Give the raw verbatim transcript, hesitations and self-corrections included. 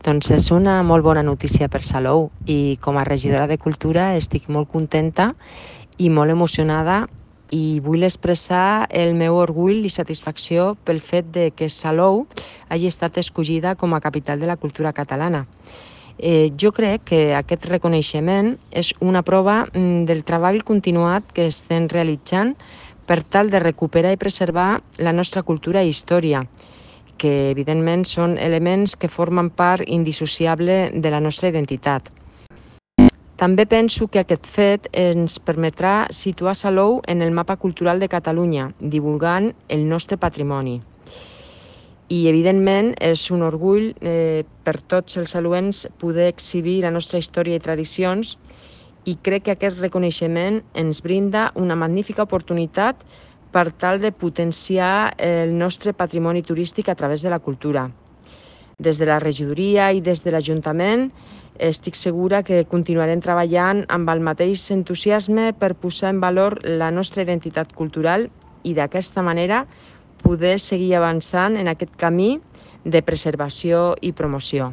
Doncs és una molt bona notícia per Salou i com a regidora de Cultura estic molt contenta i molt emocionada i vull expressar el meu orgull i satisfacció pel fet de que Salou hagi estat escollida com a capital de la cultura catalana. Eh, jo crec que aquest reconeixement és una prova mm, del treball continuat que estem realitzant per tal de recuperar i preservar la nostra cultura i història, que evidentment són elements que formen part indissociable de la nostra identitat. També penso que aquest fet ens permetrà situar Salou en el mapa cultural de Catalunya, divulgant el nostre patrimoni. I, evidentment, és un orgull eh, per tots els saluens poder exhibir la nostra història i tradicions i crec que aquest reconeixement ens brinda una magnífica oportunitat per tal de potenciar el nostre patrimoni turístic a través de la cultura. Des de la regidoria i des de l'Ajuntament estic segura que continuarem treballant amb el mateix entusiasme per posar en valor la nostra identitat cultural i d'aquesta manera poder seguir avançant en aquest camí de preservació i promoció.